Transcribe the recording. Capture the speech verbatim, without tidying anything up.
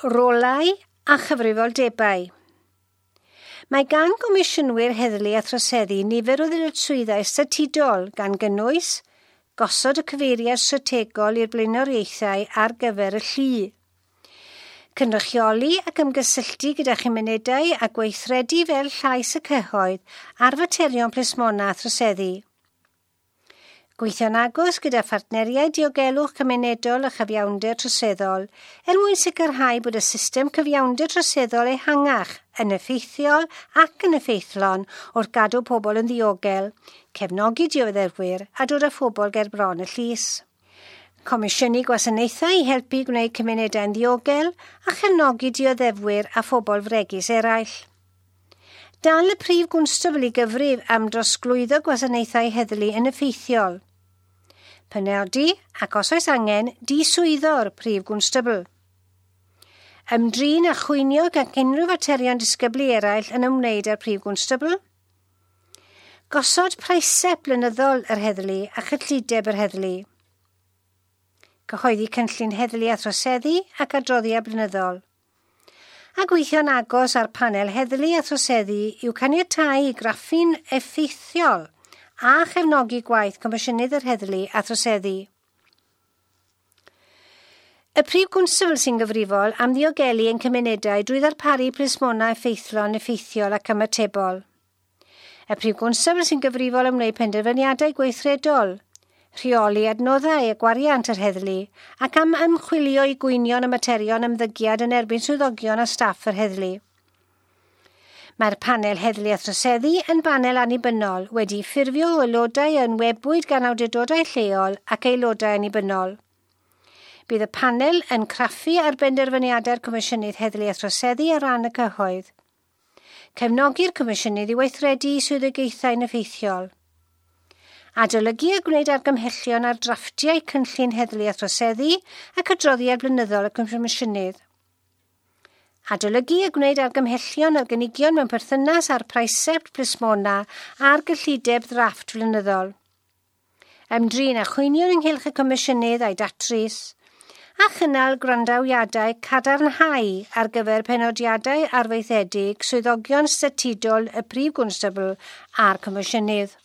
Rolau a chyfrifoldebau. Mae gan gomisiynwyr heddlu a throseddu nifer o ddyletswyddau statudol gan gynnwys gosod y cyfeiriad strategol i'r blaenoriaethau ar gyfer y llu, cynrychioli ac ymgysylltu gyda chymunedau a gweithredu fel llais y cyhoedd ar faterion plismona a throseddu. Gweithio'n agos gyda phartneriaid diogelwch cymunedol a chyfiawnder troseddol er mwyn sicrhau bod y system cyfiawnder troseddol ehangach yn effeithiol ac yn effeithlon wrth gadw pobl yn ddiogel, cefnogi dioddefwyr a dod â phobl ger bron y llys. Comisiynu gwasanaethau i helpu gwneud cymunedau'n ddiogel a chefnogi dioddefwyr a phobl fregus eraill. Dal y prif gwnstabl i gyfrif am drosglwyddo gwasanaethau heddlu yn effeithiol. Penodi, ac os oes angen, diswyddo'r prif gwnstabl. Ymdrin a chwynio ac unrhyw faterion disgyblu eraill yn ymwneud â'r prif gwnstabl. Gosod praesept blynyddol yr heddlu a chyllideb yr heddlu. Cyhoeddi cynllun heddlu a throseddu ac adroddiad blynyddol. A gweithio'n agos ar panel heddlu a throseddu i'w caniatáu i graffu'n effeithiol a chefnogi gwaith Comisiynydd yr Heddlu a Throseddu. Y prif gwnstabl sy'n gyfrifol am ddiogelu ein cymunedau drwy ddarparu plismona effeithlon, effeithiol ac ymatebol. Y prif gwnstabl sy'n gyfrifol am wneud penderfyniadau gweithredol, rheoli adnoddau a gwariant yr heddlu ac am ymchwilio i gwynion y materion ymddygiad yn erbyn swyddogion a staff yr heddlu. Mae'r panel heddlu a throseddu yn banel annibynnol wedi ffurfio o aelodau enwebwyd gan awdurdodau lleol ac aelodau annibynnol. Bydd y panel yn craffu ar benderfyniadau'r Comisiynydd Heddlu a Throseddu ar ran y cyhoedd. Cefnogi'r Comisiynydd i weithredu swyddogaethau'n effeithiol. Adolygu a gwneud argymhellion ar drafftiau cynllun heddlu a throseddu ac adroddiad blynyddol y Comisiynydd. Adolygu a gwneud argymhellion ar gynigion mewn perthynas â'r praesept plismona a'r gyllideb ddrafft flynyddol. Ymdrin â chwynion ynghylch y Comisiynydd a'i datrys, a chynnal gwrandawiadau cadarnhau ar gyfer penodiadau arfaethedig swyddogion statudol y prif gwnstabl a'r Comisiynydd.